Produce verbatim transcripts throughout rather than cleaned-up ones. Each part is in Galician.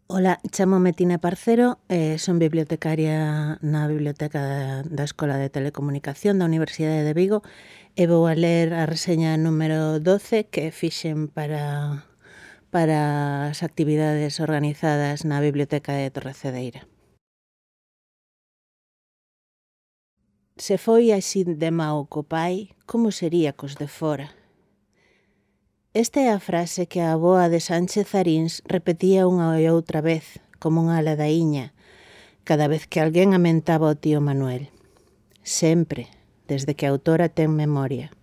Ola, chámome Tina Parcero, e son bibliotecaria na Biblioteca da, da Escola de Telecomunicación da Universidade de Vigo e vou a ler a reseña número doce que fixen para, para as actividades organizadas na Biblioteca de Torrecedeira. Se foi así de mao co pai, como sería cos de fora? Esta é a frase que a avoa de Sánchez Arins repetía unha e outra vez, como unha ladaíña, cada vez que alguén amentaba o tío Manuel. Sempre, desde que a autora ten memoria.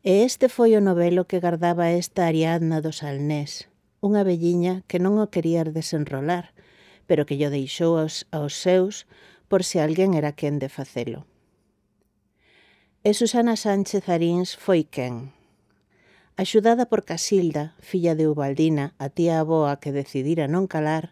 E este foi o novelo que gardaba esta Ariadna do Salnés, unha velliña que non o quería desenrolar, pero que llo deixou aos, aos seus por se alguén era quen de facelo. E Susana Sánchez Arins foi quen? Axudada por Casilda, filla de Ubaldina, a tía avoa que decidira non calar,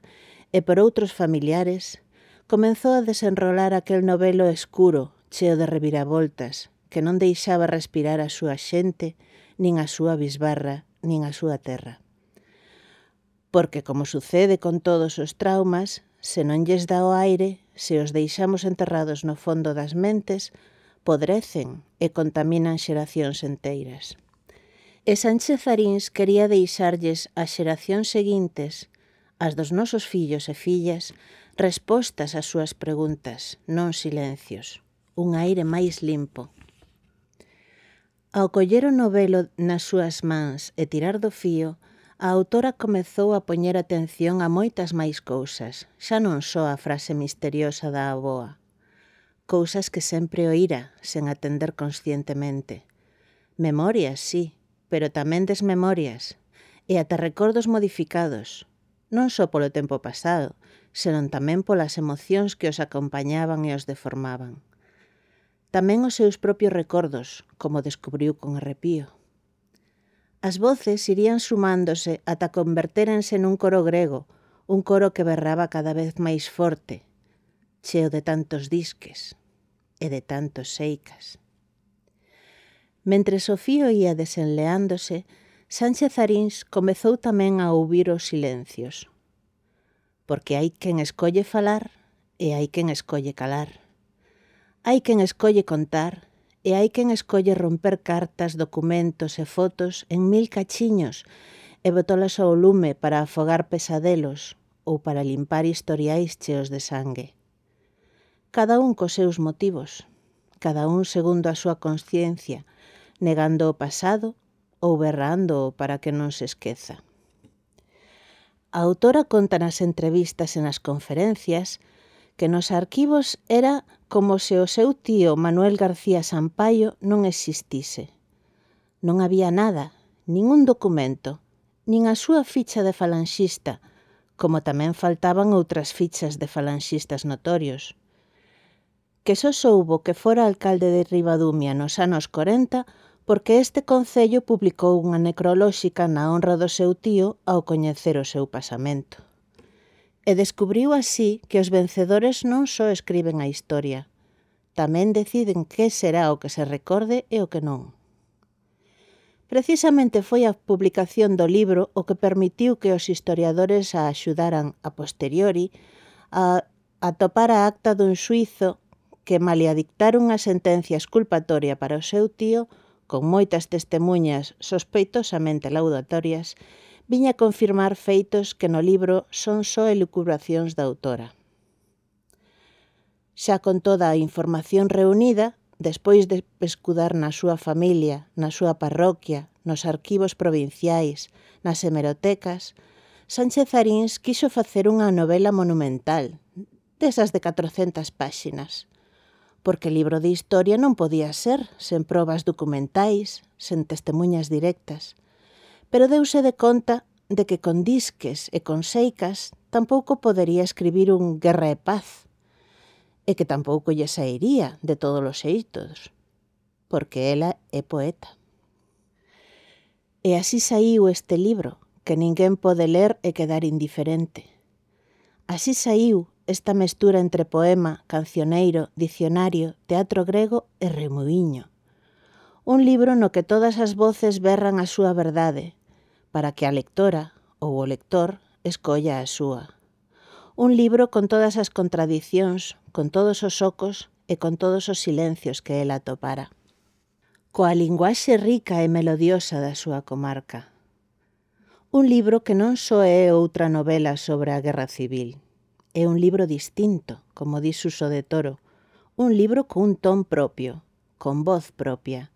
e por outros familiares, comenzou a desenrolar aquel novelo escuro, cheo de reviravoltas, que non deixaba respirar a súa xente, nin a súa bisbarra, nin a súa terra. Porque, como sucede con todos os traumas, se non lles dá o aire, se os deixamos enterrados no fondo das mentes, podrecen e contaminan xeracións enteiras. E Sánchez Arins quería deixarlles ás xeracións seguintes, as dos nosos fillos e fillas, respostas ás súas preguntas, non silencios, un aire máis limpo. Ao coller o novelo nas súas mans e tirar do fío, a autora comezou a poñer atención a moitas máis cousas, xa non só a frase misteriosa da avoa. Cousas que sempre oíra, sen atender conscientemente. Memorias, sí, pero tamén desmemorias, e ata recordos modificados, non só polo tempo pasado, senón tamén polas emocións que os acompañaban e os deformaban. Tamén os seus propios recordos, como descubriu con arrepío. As voces irían sumándose ata convertérense nun coro grego, un coro que berraba cada vez máis forte, cheo de tantos disques e de tantos seicas. Mentre o fío ia desenleándose, Sánchez Arins comezou tamén a ouvir os silencios. Porque hai quen escolle falar e hai quen escolle calar. Hai quen escolle contar e hai quen escolle romper cartas, documentos e fotos en mil cachiños e botolas ao lume para afogar pesadelos ou para limpar historiais cheos de sangue. Cada un cos seus motivos, cada un segundo a súa consciencia, negando o pasado ou berrando para que non se esqueza. A autora conta nas entrevistas e nas conferencias que nos arquivos era como se o seu tío Manuel García Sampaio non existise. Non había nada, ningún documento, nin a súa ficha de falanxista, como tamén faltaban outras fichas de falanxistas notorios. Que só soubo que fora alcalde de Ribadumia nos anos corenta porque este concello publicou unha necrolóxica na honra do seu tío ao coñecer o seu pasamento. E descubriu así que os vencedores non só escriben a historia, tamén deciden que será o que se recorde e o que non. Precisamente foi a publicación do libro o que permitiu que os historiadores a axudaran a posteriori a atopar a acta dun xuízo que, malia dictar unha sentencia exculpatoria para o seu tío, con moitas testemuñas sospeitosamente laudatorias, viña a confirmar feitos que no libro son só elucubracións da autora. Xa con toda a información reunida, despois de pescudar na súa familia, na súa parroquia, nos arquivos provinciais, nas hemerotecas, Sánchez Arins quixo facer unha novela monumental, desas de catrocentas páxinas, porque libro de historia non podía ser sen probas documentais, sen testemuñas directas. Pero deuse de conta de que con disques e con seicas tampouco podería escribir un Guerra e Paz, e que tampouco lle sairía de todos os xeitos, porque ela é poeta. E así saiu este libro, que ninguén pode ler e quedar indiferente. Así saiu esta mestura entre poema, cancioneiro, dicionario, teatro grego e remuíño. Un libro no que todas as voces berran a súa verdade, para que a lectora ou o lector escolla a súa. Un libro con todas as contradicións, con todos os ocos e con todos os silencios que ela atopara. Coa linguaxe rica e melodiosa da súa comarca. Un libro que non só é outra novela sobre a Guerra Civil. É un libro distinto, como di Suso de Toro. Un libro cun ton propio, con voz propia.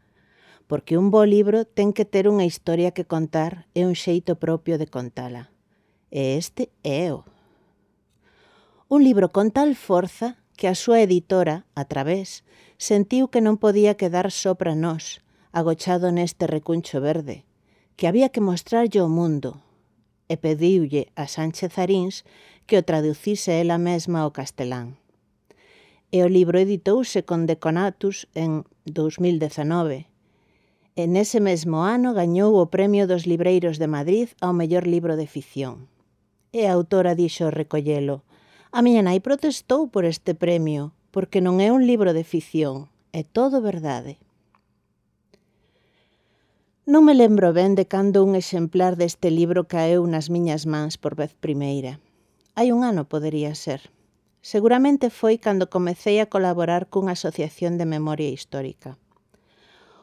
Porque un bo libro ten que ter unha historia que contar e un xeito propio de contala. E este é o. Un libro con tal forza que a súa editora, a través, sentiu que non podía quedar só para nós, agochado neste recuncho verde, que había que mostrarlle ao mundo, e pediulle a Sánchez Aríns que o traducise ela mesma ao castelán. E o libro editouse con Deconatus en dous mil dezanove, e nese mesmo ano gañou o Premio dos Libreiros de Madrid ao mellor libro de ficción. E a autora dixo ao recollelo: a miña nai protestou por este premio, porque non é un libro de ficción, é todo verdade. Non me lembro ben de cando un exemplar deste libro caeu nas miñas mans por vez primeira. Hai un ano podería ser. Seguramente foi cando comecei a colaborar cunha asociación de memoria histórica.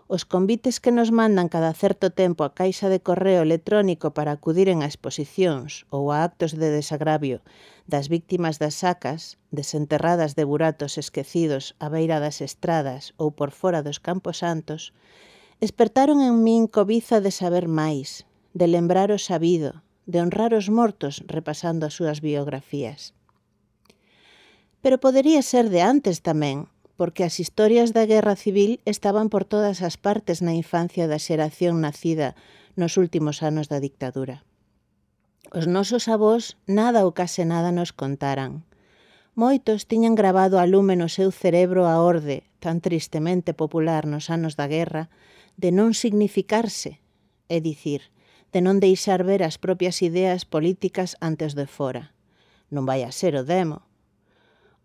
Os convites que nos mandan cada certo tempo a caixa de correo electrónico para acudiren a exposicións ou a actos de desagravio das víctimas das sacas, desenterradas de buratos esquecidos á beira das estradas ou por fora dos Campos Santos, espertaron en min cobiza de saber máis, de lembrar o sabido, de honrar os mortos repasando as súas biografías. Pero podería ser de antes tamén, porque as historias da Guerra Civil estaban por todas as partes na infancia da xeración nacida nos últimos anos da dictadura. Os nosos avós nada ou case nada nos contaran. Moitos tiñan gravado a lume no seu cerebro a orde, tan tristemente popular nos anos da guerra, de non significarse, é dicir, de non deixar ver as propias ideas políticas antes de fora. Non vai a ser o demo.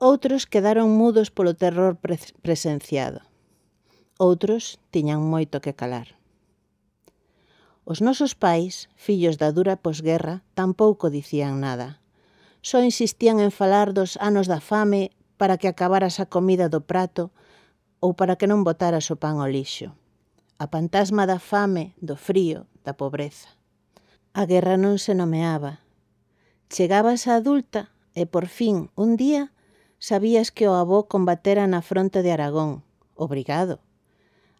Outros quedaron mudos polo terror pre- presenciado. Outros tiñan moito que calar. Os nosos pais, fillos da dura posguerra, tampouco dicían nada. Só insistían en falar dos anos da fame para que acabaras a comida do prato ou para que non botaras o pan ao lixo. A fantasma da fame, do frío, da pobreza. A guerra non se nomeaba. Chegabas a adulta e, por fin, un día, sabías que o avó combatera na fronte de Aragón, obrigado,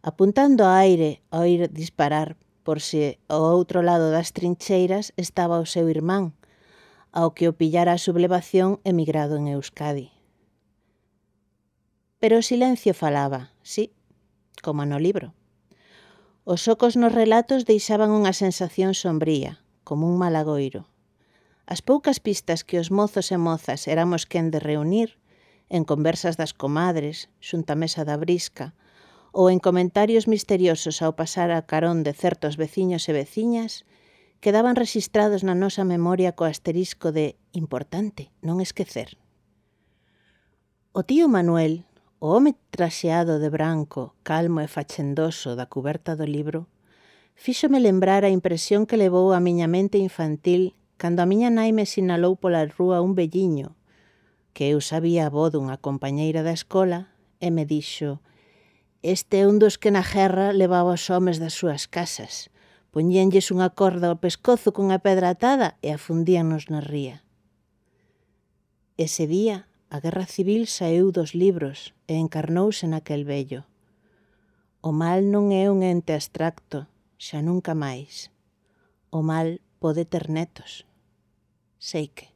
apuntando ao aire ao ir disparar por se ao outro lado das trincheiras estaba o seu irmán, ao que o pillara a sublevación emigrado en Euskadi. Pero o silencio falaba, sí, como no libro. Os ocos nos relatos deixaban unha sensación sombría, como un malagoiro. As poucas pistas que os mozos e mozas éramos quen de reunir, en conversas das comadres, xunta mesa da brisca, ou en comentarios misteriosos ao pasar a carón de certos veciños e veciñas, quedaban rexistrados na nosa memoria co asterisco de importante, non esquecer. O tío Manuel, o home traxeado de branco, calmo e fachendoso da cuberta do libro, fíxome lembrar a impresión que levou a miña mente infantil cando a miña nai me sinalou pola rúa un velliño, que eu sabía a voz dunha compañeira da escola, e me dixo: este é un dos que na guerra levaba os homes das súas casas, poñíanlles unha corda ao pescozo cunha pedra atada e afundíanos na ría. Ese día, a Guerra Civil saíu dos libros e encarnouse naquel vello. O mal non é un ente abstracto, xa nunca máis. O mal pode ter netos. Sei que.